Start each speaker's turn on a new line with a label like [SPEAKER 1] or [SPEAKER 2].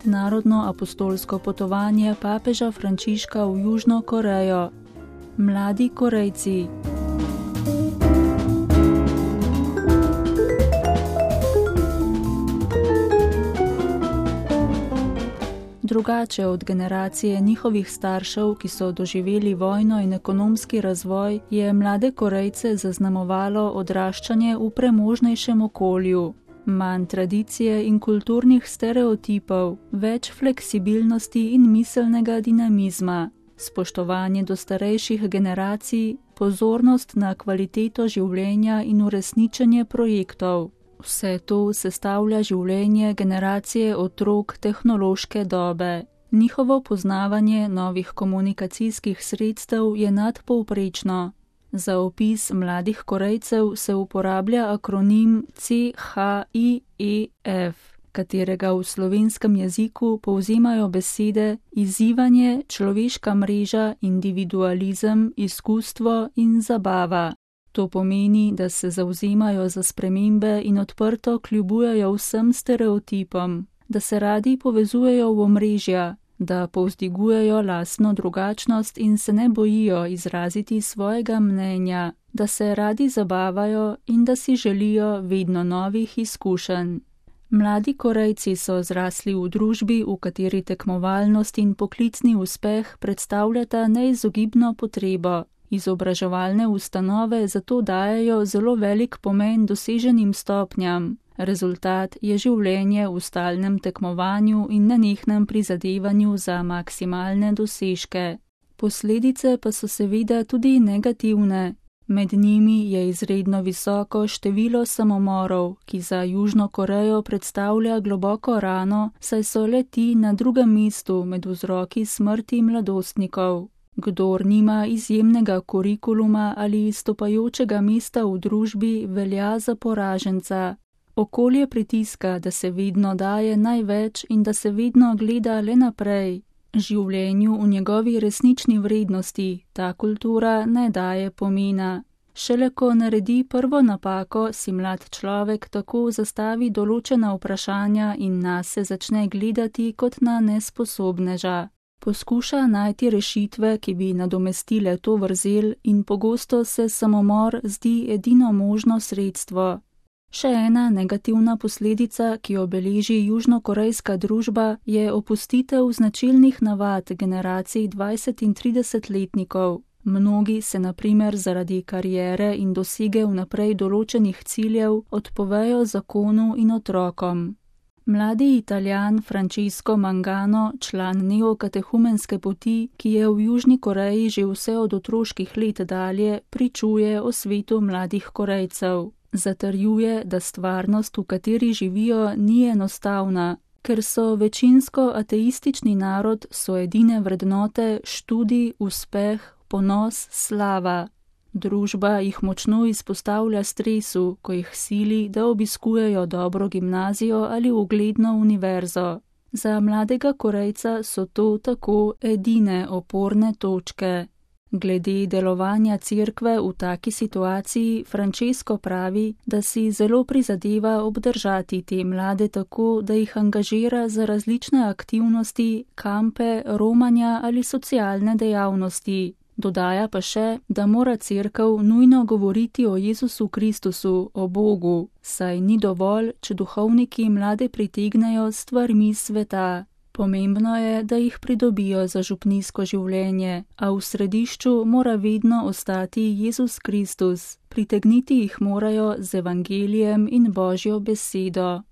[SPEAKER 1] mednarodno apostolsko potovanje papeža Frančiška v Južno Korejo. Mladi Korejci. Drugače od generacije njihovih staršev, ki so doživeli vojno in ekonomski razvoj, je mlade Korejce zaznamovalo odraščanje v premožnejšem okolju. Manj tradicije in kulturnih stereotipov, več fleksibilnosti in miselnega dinamizma, spoštovanje do starejših generacij, pozornost na kvaliteto življenja in uresničenje projektov. Vse to sestavlja življenje generacije otrok tehnološke dobe. Njihovo poznavanje novih komunikacijskih sredstev je nadpovprečno. Za opis mladih Korejcev se uporablja akronim CHIEF, katerega v slovenskem jeziku povzemajo besede izzivanje, človeška mreža, individualizem, izkustvo in zabava. To pomeni, da se zavzemajo za spremembe in odprto kljubujejo vsem stereotipom, da se radi povezujejo v omrežja, da povzdigujejo lastno drugačnost in se ne bojijo izraziti svojega mnenja, da se radi zabavajo in da si želijo vedno novih izkušenj. Mladi Korejci so zrasli v družbi, v kateri tekmovalnost in poklicni uspeh predstavljata neizogibno potrebo. Izobraževalne ustanove zato dajejo zelo velik pomen doseženim stopnjam. Rezultat je življenje v stalnem tekmovanju in nenehnem prizadevanju za maksimalne dosežke. Posledice pa so seveda tudi negativne. Med njimi je izredno visoko število samomorov, ki za Južno Korejo predstavlja globoko rano, saj so le-ti na drugem mestu med vzroki smrti mladostnikov. Kdor nima izjemnega kurikuluma ali izstopajočega mesta v družbi, velja za poraženca. Okolje pritiska, da se vedno daje največ in da se vedno gleda le naprej. Življenju v njegovi resnični vrednosti ta kultura ne daje pomena. Šele ko naredi prvo napako, si mlad človek tako zastavi določena vprašanja in nase začne gledati kot na nesposobneža. Poskuša najti rešitve, ki bi nadomestile to vrzel in pogosto se samomor zdi edino možno sredstvo. Še ena negativna posledica, ki jo beleži južnokorejska družba, je opustitev značilnih navad generacij 20- in 30-letnikov. Mnogi se na primer zaradi kariere in dosege vnaprej določenih ciljev odpovejo zakonu in otrokom. Mladi Italijan Francesco Mangano, član neokatehumenske poti, ki je v Južni Koreji že vse od otroških let dalje, pričuje o svetu mladih Korejcev. Zatrjuje, da stvarnost, v kateri živijo, ni enostavna. Ker so večinsko ateistični narod, so edine vrednote študij, uspeh, ponos, slava. Družba jih močno izpostavlja stresu, ko jih sili, da obiskujejo dobro gimnazijo ali ugledno univerzo. Za mladega Korejca so to tako edine oporne točke. Glede delovanja cerkve v taki situaciji Francesco pravi, da si zelo prizadeva obdržati te mlade tako, da jih angažira za različne aktivnosti, kampe, romanja ali socialne dejavnosti. Dodaja pa še, da mora cerkev nujno govoriti o Jezusu Kristusu, o Bogu, saj ni dovolj, če duhovniki mlade pritegnejo s stvarmi sveta. Pomembno je, da jih pridobijo za župnijsko življenje, a v središču mora vedno ostati Jezus Kristus. Pritegniti jih morajo z evangelijem in Božjo besedo.